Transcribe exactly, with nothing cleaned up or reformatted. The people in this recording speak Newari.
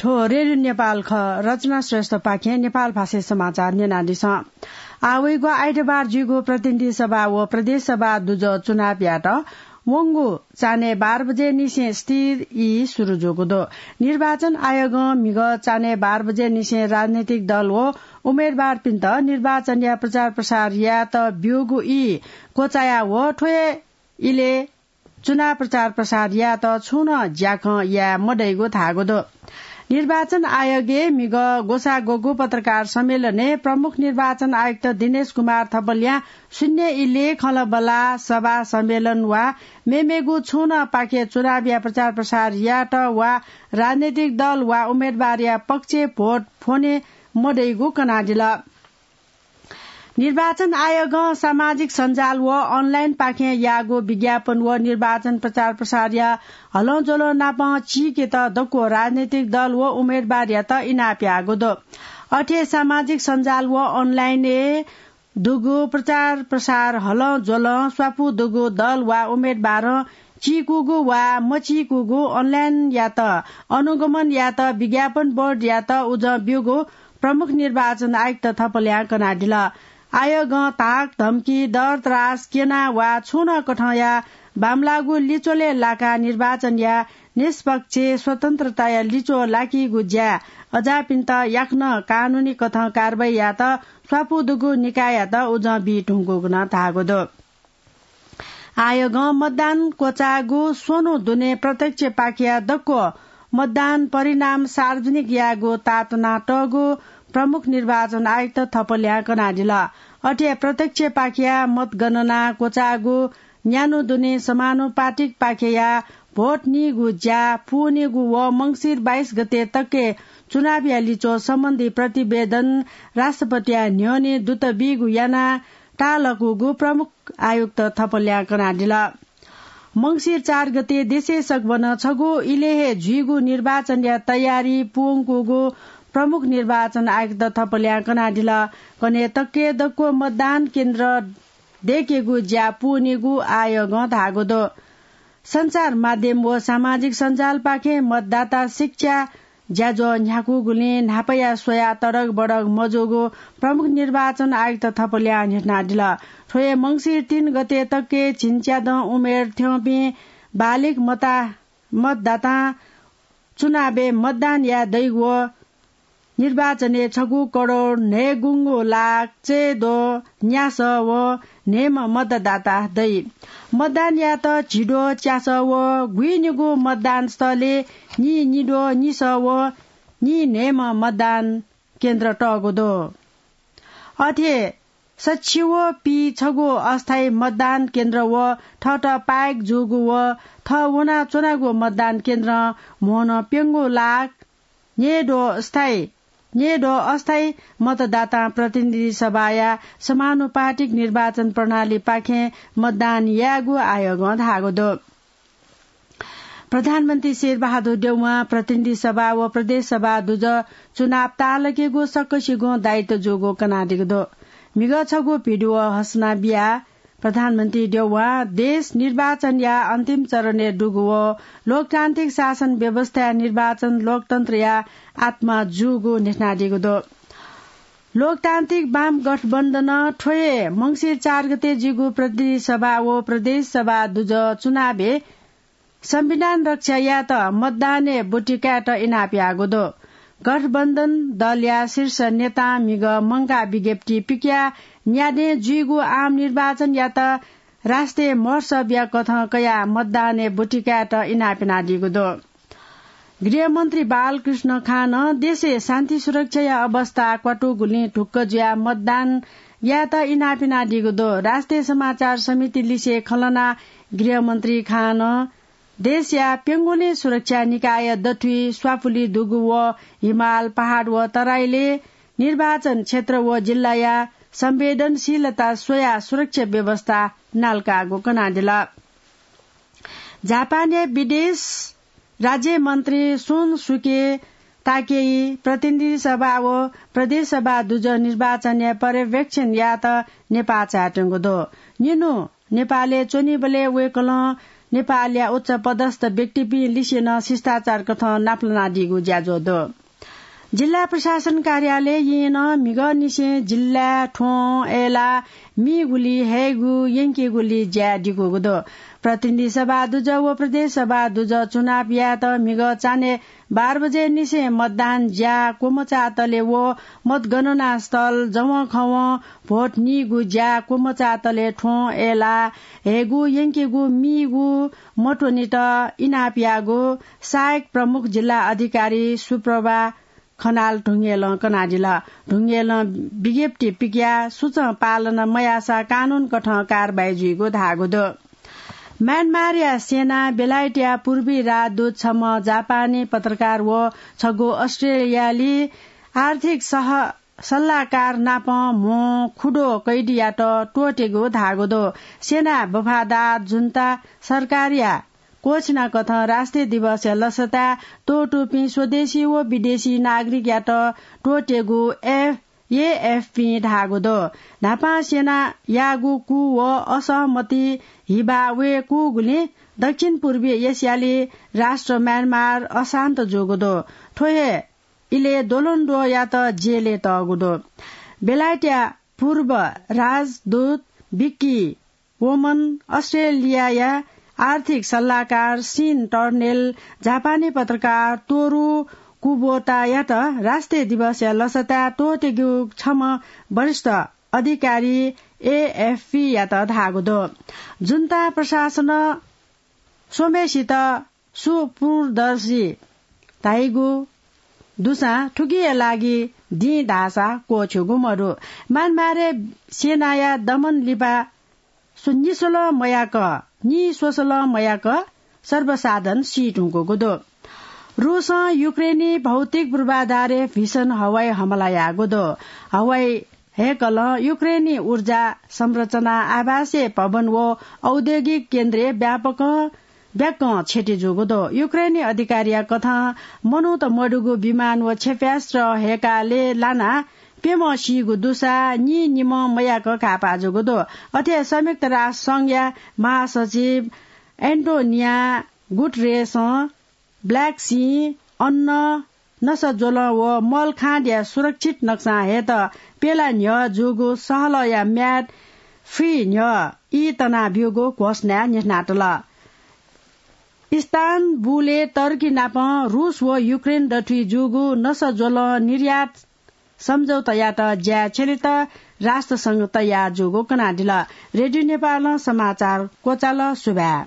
थ्व रेडियो नेपाल खः। रचना श्रेष्ठपाखें नेपाल भाषाय् समाचार न्यनादिसँ। आः वइगु आइतबार जुइगु प्रतिनिधि सभा व प्रदेश सभा दुजः चुनावयात वंगु चान्हय् बाह्र बजे निसें स्थिर ई सुरु जूगु दु। निर्वाचन आयोगं म्हिगः चान्हय् बाह्र बजे निसें राजनैतिक दल व उम्मेदवारपिन्त निर्वाचनया प्रचार प्रसार यायेत ब्यूगु ई क्वचाया व थ्व हे इलय् चुनाव प्रचार प्रसार यायेत छुं नं ज्याखँ याये मदइगु धाःगु दु। निर्वाचन आयोगय् म्हिगः ग्वसाः ग्वःगु पत्रकार सम्मेलनय् प्रमुख निर्वाचन आयुक्त दिनेश कुमार थपलियां शून्य इलय् खँल्हाबल्हा सभा सम्मेलन वा मेमेगु छुं नं पाखे चुनावया प्रचार प्रसार यायेत वा राजनैतिक दल वा उम्मेदवारया पक्षय् भोट फ्वने मदइगु कनादिल। निर्वाचन आयोगं सामाजिक सञ्जाल व online पाखें याःगु विज्ञापन व निर्वाचन प्रचार प्रसारया हलंज्वलं नाप चीकेत दक्व राजनैतिक दल व उम्मेदवारयात इनाप याःगु दु। अथे सामाजिक सञ्जाल व online-य् दुगु प्रचार प्रसार हलंज्वलं स्वापू दुगु दल वा उम्मेदवारं चीकूगु वा मचीकूगु online-यात अनुगमन यायेत विज्ञापन बोर्डयात उजं ब्यूगु प्रमुख निर्वाचन आयुक्त थपलियां कनादिल। आयोगं धाक, धम्की, डर, त्रास, क्यना वा छुं नं कथंया बांमलाःगु लिच्वलय् लाकाः निर्वाचनया निष्पक्ष स्वतन्त्रताया लिच्वः लाकीगु ज्याय् अज्याःपिन्त याकनं कानूनी कथं कारवाही यायेत स्वापू दुगु निकाययात उजं बी धुंकूगु नं धाःगु दु। आयोगं मतदान क्वचाःगु स्वन्हु दुने प्रत्यक्ष पाखेया दक्व मतदान परिणाम सार्वजनिक यायेगु ताःतुना तःगु प्रमुख निर्वाचन आयुक्त थपलियां कनादिल। अथे प्रत्यक्ष पाखेया मतगणना क्वचाःगु न्यान्हु दुने समानुपातिक पाखेया भोट नीगु ज्या पूवनीगु व मंसिर बाइस गते तकय् चुनावया लिच्वः सम्बन्धी प्रतिवेदन राष्ट्रपतिया न्ह्यःने दूत बीगु यानाः ताःलाकूगु प्रमुख आयुक्त थपलियां कनादिल। मंसिर चार गते देशय् सकभनं छगू इलय् हे जुइगु निर्वाचनया तयारी पूवंकूगु प्रमुख निर्वाचन आयुक्त थपलियां कनादिल। कन्हय् तकय् दक्व मतदान केन्द्र दय्केगु ज्या पूवनीगु आयोगं धाःगु दु। सञ्चार माध्यम व सामाजिक सञ्जालपाखें मतदाता शिक्षा ज्याझ्वः न्ह्याकूगुलिं न्हापाया स्वयाः तडकबडक मजूगु प्रमुख निर्वाचन आयुक्त थपलियां न्ह्यथनादिल। थ्व हे मंसिर तीन गते तकय् झिंच्यादँ उमेर थ्यंपिं बालिग मता-, मतदातां चुनावय् मतदान याये दइगु व निर्वाचनय् छगू करोड न्हय्गुंगू लाख चय्द्वः न्यासः व न्हय्म्ह मतदाता दइ। मतदान यायेत झिद्वः च्यासः व गुइनिगू मतदान स्थलय् नीनिद्वः निसः व नीन्हय्म्ह मतदान केन्द्र तःगु दु। अथे सछि व पीछगू अस्थायी मतदान केन्द्र व थःत पाय्क जूगु व थः वनाच्वनागु मतदान केन्द्रं म्होनं प्यंगू लाख न्यय्द्वः स्थायी, न्यय्द्वः अस्थायी मतदातां प्रतिनिधि सभाया समानुपातिक निर्वाचन प्रणालीपाखें मतदान यायेगु आयोगं धाःगु दु। प्रधानमन्त्री शेरबहादुर देउवां प्रतिनिधि सभा व प्रदेश सभा दुजः चुनाव ताःलाकेगु सकसिगुं दायित्व जूगु कनादीगु दु। म्हिगः छगू भिडियो हसना बियाः प्रधानमन्त्री देउवां देश निर्वाचनया अन्तिम चरणय् दुगु व लोकतान्त्रिक शासन व्यवस्थाय् निर्वाचन लोकतन्त्रया आत्मा जूगु न्ह्यथनादीगु दु। लोकतान्त्रिक वाम गठबन्धनं थ्व हे मंसिर चार गते जुइगु प्रतिनिधि सभा व प्रदेश सभा दुजः चुनावय् संविधान रक्षा यायेत मतदानय् ब्वति कायेत इनाप याःगु दु। गठबन्धन दलया शीर्ष नेतां म्हिगः मंकाः विज्ञप्ति पिकयाः न्यादँय् जुइगु आम निर्वाचनयात राष्ट्रिय महोत्सवया कथं कयाः मतदानय् ब्वति कायेत इनाप यानादीगु दु। गृहमन्त्री बालकृष्ण खानं देशय् शान्ति सुरक्षाया अवस्था क्वातुगुलिं ढुक्क जुयाः मतदान यायेत इनाप यानादीगु दु। राष्ट्रिय समाचार समिति लिसे खँ ल्हानाः गृहमन्त्री खानं देशया प्यंगुलिं सुरक्षा निकाय दथुइ स्वापुलि दुगु व हिमाल, पहाड व तराईलय् निर्वाचन क्षेत्र व जिल्लाया संवेदनशीलता स्वयाः सुरक्षा व्यवस्था नालाकाःगु कनादिल। जापानया विदेश राज्यमन्त्री सुनसुके ताकेई प्रतिनिधि सभा व प्रदेश सभा दुजः निर्वाचनया पर्यवेक्षण यायेत नेपाः चायेत्यंगु दु। निन्हु नेपालय् च्वनीबलय् वय्कलं नेपालया उच्च पदस्थ व्यक्तिपिं लिसे नं शिष्टाचार कथं नापलानादीगु ज्याझ्वः दु। जिल्ला प्रशासन कार्यालयं नं म्हिगःनिसें जिल्लाय् थ्वँ, अय्‌लाः, मीगुली, हयेगु, यंकेगुली ज्या दिकूगु दु। प्रतिनिधि सभा दुजः व प्रदेश सभा दुजः चुनाव यायेत म्हिगः चान्हय् बाह्र बजे निसें मतदान ज्या क्वमचाःतले व मतगणना स्थल जवंखवं भोट नीगु ज्या क्वमचाःतले थ्वँ, अय्‌लाः, हयेगु, यंकेगु, मीगु मत्वनेत इनाप याःगु सहायक प्रमुख जिल्ला अधिकारी सुप्रभा खनाल ढुङ्गेलं कनादिल। ढुङ्गेलं विज्ञप्ति पिकयाः सुचं पालन मयाःसा कानून कथं कारवाही जुइगु धाःगु दु। म्यानमारया सेनां बेलायतया पूर्वी राजदूत छम्ह जापानी पत्रकार व छगू अस्ट्रेलियाली आर्थिक सह-, सल्लाहकार नाप म्हो खुद्वः कैदीयात त्वःतेगु धाःगु दु। सेनां वफादार जुन्ता सरकारया क्वःछिना कथं राष्ट्रिय दिवसया लसताय् त्वःतूपिं स्वदेशी व विदेशी नागरिकयात त्वःतेगु एएफपीं धाःगु दु। न्हापां सेनायागु कू व असहमति हिबा वयेकूगुलिं दक्षिण पूर्वी एसियाली राष्ट्र म्यानमार अशान्त जूगु दु। थ्व हे इलय् द्वलंद्वःयात जेलय् तःगु दु। बेलायतया पूर्व राजदूत विक्की वोमन अस्ट्रेलियाया आर्थिक सल्लाहकार सिन टर्नेल जापानी पत्रकार तोरु कुबोतायात राष्ट्रिय दिवसया लसताय् त्वःतेगु छम्ह वरिष्ठ अधिकारी एएफपीयात धाःगु दु। जुन्ता प्रशासनं स्वम्हेसित सुपूर्दर्शी धाइगु दुसां थुकिया लागि दिं धाःसा क्वःछ्यूगु मदु। म्यानमारय् सेनाया दमन लिपा स्व-, निस्वलं मयाक, निस्वसलं मयाक सर्वसाधारण सी धुंकूगु दु। रूसं युक्रेनी भौतिक पूर्वाधारय् भीषण हवाई हमला याःगु दु। हवाई हय्‌कलं युक्रेनी ऊर्जा संरचना, आवासीय भवन व औद्योगिक केन्द्रय् व्यापकं ब्याक्कं क्षति जूगु दु। युक्रेनी अधिकारीया कथं मनूत मदुगु विमान व क्षेप्यास्त्र हय्‌काः लय् लानाः प्यम्ह सीगु दुसा नीनिम्ह मयाक घाःपाः जूगु दु। अथे संयुक्त राष्ट्र संघया महासचिव एन्टोनिया गुटरेसं ब्ल्याक सी, अन्न, नसा ज्वलं व मल खाँद्या सुरक्षित नक्सां हयेत प्यला न्ह्यः जूगु सहलहया म्याद फुइ न्ह्यः ई तनाब्यूगु घोषणाय् न्ह्यथनातल। इस्तानबुलय् टर्की नाप रूस व युक्रेन दथुइ जूगु नसा ज्वलं निर्यात सम्झौतायात ज्याय् छ्यलेत राष्ट्रसंघ तयार जूगु कनादिल। रेडियो नेपालं समाचार क्वचाल। सुभाय्।